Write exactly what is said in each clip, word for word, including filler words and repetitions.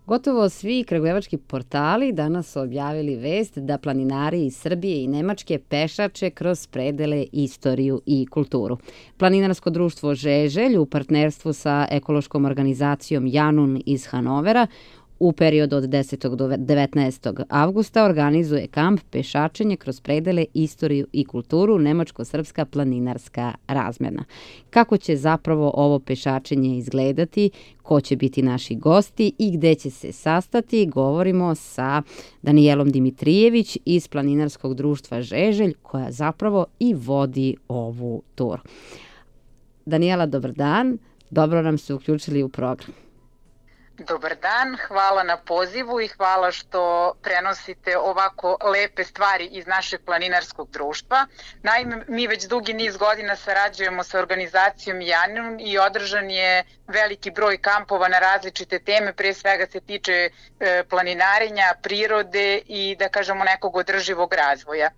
Gotovo svi kragujevački portali danas su objavili vest da planinari iz Srbije i Nemačke pešače kroz predele, istoriju i kulturu. Planinarsko društvo Žeželj u partnerstvu sa ekološkom organizacijom Janun iz Hanovera u periodu od desetog do devetnaestog avgusta organizuje kamp Pešačenje kroz predele, istoriju i kulturu Nemačko-srpska planinarska razmena. Kako će zapravo ovo pešačenje izgledati, ko će biti naši gosti i gde će se sastati, govorimo sa Danijelom Dimitrijević iz Planinarskog društva Žeželj, koja zapravo i vodi ovu tur. Danijela, dobar dan. Dobro nam se uključili u program. Dobar dan, hvala na pozivu i hvala što prenosite ovako lepe stvari iz našeg planinarskog društva. Naime, mi već dugi niz godina sarađujemo sa organizacijom Janun i održan je veliki broj kampova na različite teme, pre svega se tiče planinarenja, prirode i da kažemo nekog održivog razvoja.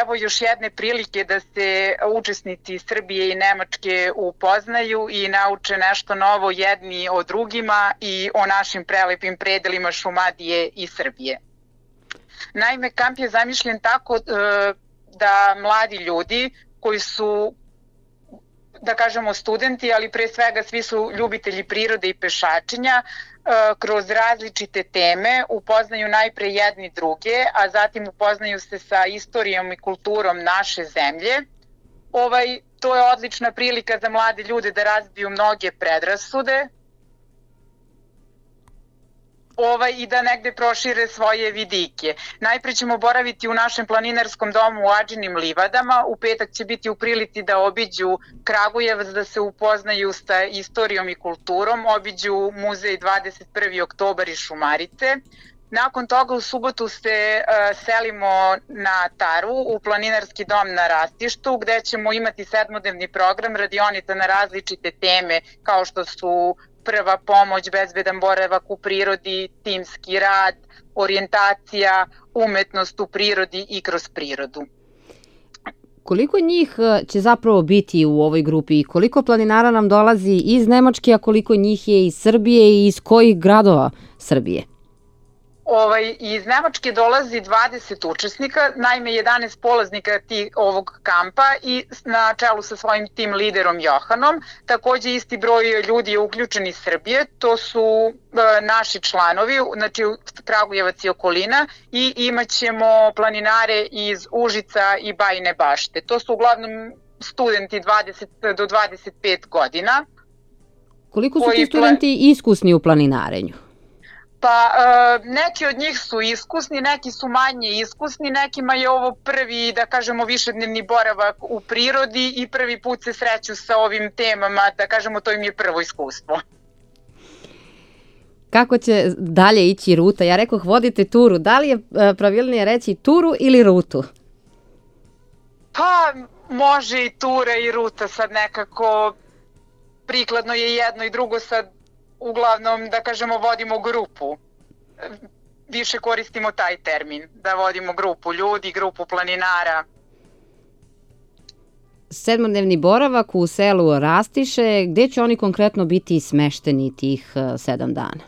Evo još jedne prilike da se učesnici Srbije i Nemačke upoznaju i nauče nešto novo jedni o drugima i o našim prelepim predelima Šumadije i Srbije. Naime, kamp je zamišljen tako da mladi ljudi koji su, da kažemo, studenti, ali pre svega svi su ljubitelji prirode i pešačenja, kroz različite teme upoznaju najpre jedni druge, a zatim upoznaju se sa istorijom i kulturom naše zemlje. Ovaj, to je odlična prilika za mlade ljude da razbiju mnoge predrasude, Ovaj, i da negde prošire svoje vidike. Najpre ćemo boraviti u našem planinarskom domu u Adžinim livadama. U petak će biti u prilici da obiđu Kragujevac, da se upoznaju sa istorijom i kulturom, obiđu muzej dvadeset prvi oktobar i Šumarice. Nakon toga u subotu se uh, selimo na Taru u planinarski dom na Rastištu, gde ćemo imati sedmodnevni program radionica na različite teme kao što su prva pomoć, bezbedan boravak u prirodi, timski rad, orijentacija, umetnost u prirodi i kroz prirodu. Koliko njih će zapravo biti u ovoj grupi i koliko planinara nam dolazi iz Nemačke, a koliko njih je iz Srbije i iz kojih gradova Srbije? Ovaj, iz Nemačke dolazi dvadeset učesnika, naime jedanaest polaznika ti, ovog kampa i na čelu sa svojim tim liderom Johanom. Takođe isti broj ljudi je uključen iz Srbije, to su e, naši članovi, znači Kragujevac i okolina, i imat ćemo planinare iz Užica i Bajine Bašte. To su uglavnom studenti dvadeset do dvadeset pet godina. Koliko su ti studenti iskusni u planinarenju? Pa e, neki od njih su iskusni, neki su manje iskusni, nekima je ovo prvi, da kažemo, višednevni boravak u prirodi i prvi put se sreću sa ovim temama, da kažemo, to im je prvo iskustvo. Kako će dalje ići ruta? Ja rekoh vodite turu, da li je pravilnije reći turu ili rutu? Pa može i tura i ruta, sad nekako prikladno je jedno i drugo, sad uglavnom, da kažemo, vodimo grupu. Više koristimo taj termin, da vodimo grupu ljudi, grupu planinara. Sedmodnevni boravak u selu Rastiše, gde će oni konkretno biti smešteni tih sedam dana?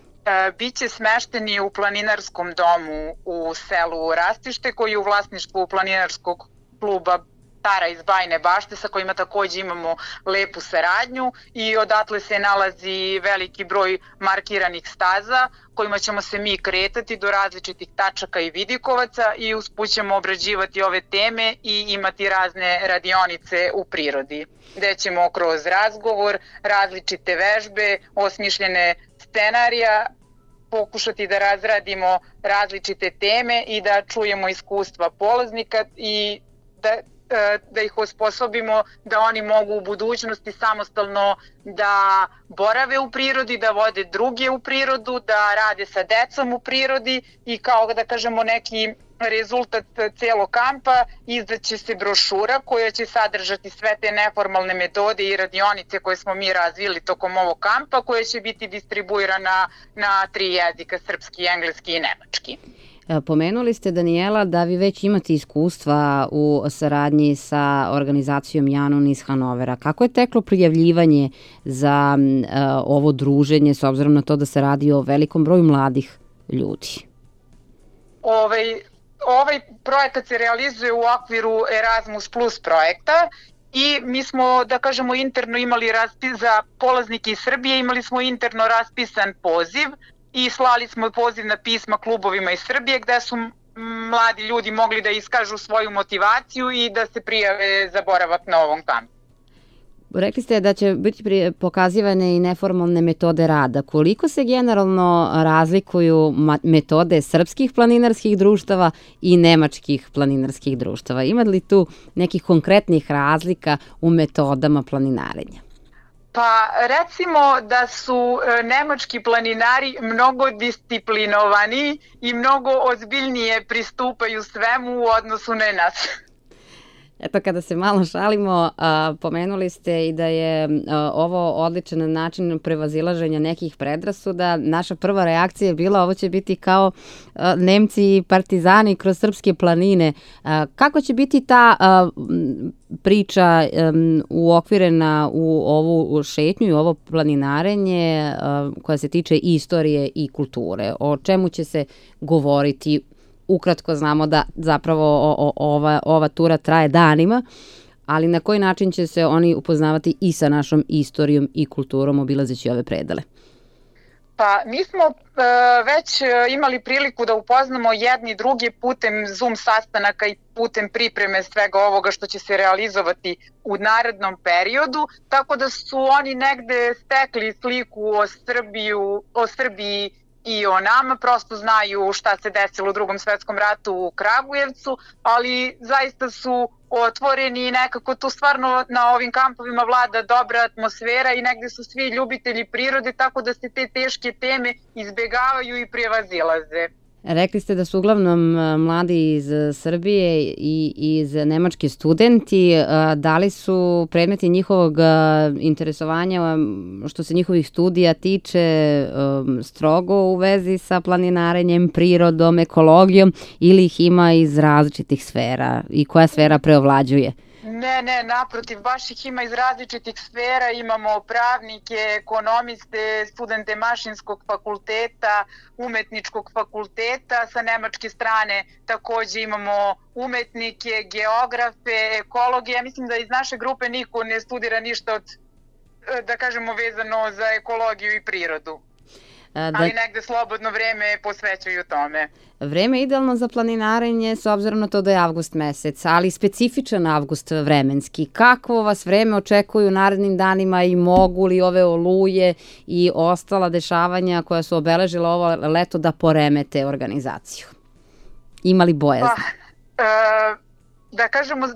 Biće smešteni u planinarskom domu u selu Rastište, koji je u vlasništvu planinarskog kluba Tara iz Bajine Bašte, sa kojima takođe imamo lepu saradnju, i odatle se nalazi veliki broj markiranih staza kojima ćemo se mi kretati do različitih tačaka i vidikovaca i usput ćemo obrađivati ove teme i imati razne radionice u prirodi, gde ćemo kroz razgovor, različite vežbe, osmišljene scenarija pokušati da razradimo različite teme i da čujemo iskustva polaznika i da da ih osposobimo da oni mogu u budućnosti samostalno da borave u prirodi, da vode druge u prirodu, da rade sa decom u prirodi i kao da kažemo neki rezultat celog kampa izdaće se brošura koja će sadržati sve te neformalne metode i radionice koje smo mi razvili tokom ovog kampa, koja će biti distribuirana na tri jezika, srpski, engleski i nemački. Pomenuli ste, Danijela, da vi već imate iskustva u saradnji sa organizacijom Janun iz Hanovera. Kako je teklo prijavljivanje za uh, ovo druženje, s obzirom na to da se radi o velikom broju mladih ljudi? Ovaj, ovaj projekat se realizuje u okviru Erasmus Plus projekta i mi smo, da kažemo, interno imali raspis za polaznike iz Srbije, imali smo interno raspisan poziv i slali smo pozivna pisma klubovima iz Srbije gde su mladi ljudi mogli da iskažu svoju motivaciju i da se prijave za boravak na ovom kampu. Rekli ste da će biti pokazivane i neformalne metode rada. Koliko se generalno razlikuju metode srpskih planinarskih društava i nemačkih planinarskih društava? Ima li tu nekih konkretnih razlika u metodama planinarenja? Pa recimo da su nemački planinari mnogo disciplinovani i mnogo ozbiljnije pristupaju svemu u odnosu na nas. Eto, kada se malo šalimo, a, pomenuli ste i da je a, ovo odličan način prevazilaženja nekih predrasuda. Naša prva reakcija je bila ovo će biti kao a, Nemci i partizani kroz srpske planine. A, kako će biti ta a, priča a, uokvirena u ovu šetnju i ovo planinarenje a, koja se tiče istorije i kulture? O čemu će se govoriti? Ukratko znamo da zapravo o, o, ova, ova tura traje danima, ali na koji način će se oni upoznavati i sa našom istorijom i kulturom obilazeći ove predele? Pa mi smo e, već imali priliku da upoznamo jedni drugi putem Zoom sastanaka i putem pripreme svega ovoga što će se realizovati u narednom periodu, tako da su oni negde stekli sliku o, Srbiju, o Srbiji i o nama, prosto znaju šta se desilo u Drugom svetskom ratu u Kragujevcu, ali zaista su otvoreni i nekako tu stvarno na ovim kampovima vlada dobra atmosfera i negde su svi ljubitelji prirode, tako da se te teške teme izbegavaju i prevazilaze. Rekli ste da su uglavnom mladi iz Srbije i iz Nemačke studenti. Da li su predmeti njihovog interesovanja što se njihovih studija tiče strogo u vezi sa planinarenjem, prirodom, ekologijom ili ih ima iz različitih sfera i koja sfera preovlađuje? Ne, ne, naprotiv, baš ih ima iz različitih sfera, imamo pravnike, ekonomiste, studente mašinskog fakulteta, umetničkog fakulteta, sa nemačke strane takođe imamo umetnike, geografe, ekologe. Ja mislim da iz naše grupe niko ne studira ništa od, da kažemo, vezano za ekologiju i prirodu. Da, ali negde slobodno vreme posvećuju tome. Vreme je idealno za planinarenje s obzirom na to da je avgust mesec, ali specifičan avgust vremenski. Kako vas vreme očekuju narednim danima i mogu li ove oluje i ostala dešavanja koja su obeležila ovo leto da poremete organizaciju? Ima li bojazni? Pa, e Da kažemo,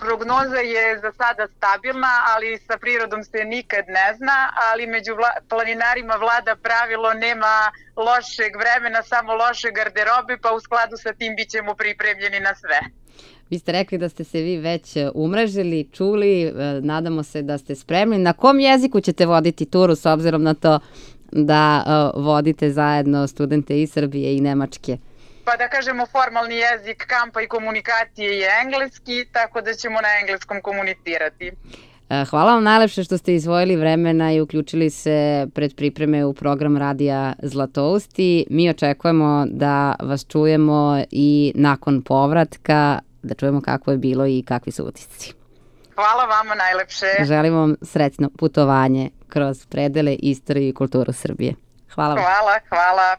prognoza je za sada stabilna, ali sa prirodom se nikad ne zna, ali među vla, planinarima vlada pravilo nema lošeg vremena, samo loše garderobe, pa u skladu sa tim bit ćemo pripremljeni na sve. Vi ste rekli da ste se vi već umrežili, čuli, nadamo se da ste spremni. Na kom jeziku ćete voditi turu s obzirom na to da vodite zajedno studente iz Srbije i Nemačke? Pa da kažemo, formalni jezik kampa i komunikacije je engleski, tako da ćemo na engleskom komunicirati. Hvala vam najlepše što ste izdvojili vremena i uključili se pred pripreme u program Radija Zlatousti. Mi očekujemo da vas čujemo i nakon povratka, da čujemo kako je bilo i kakvi su utisci. Hvala vama najlepše. Želim vam srećno putovanje kroz predele, istoriju i kulturu Srbije. Hvala vam. Hvala, hvala.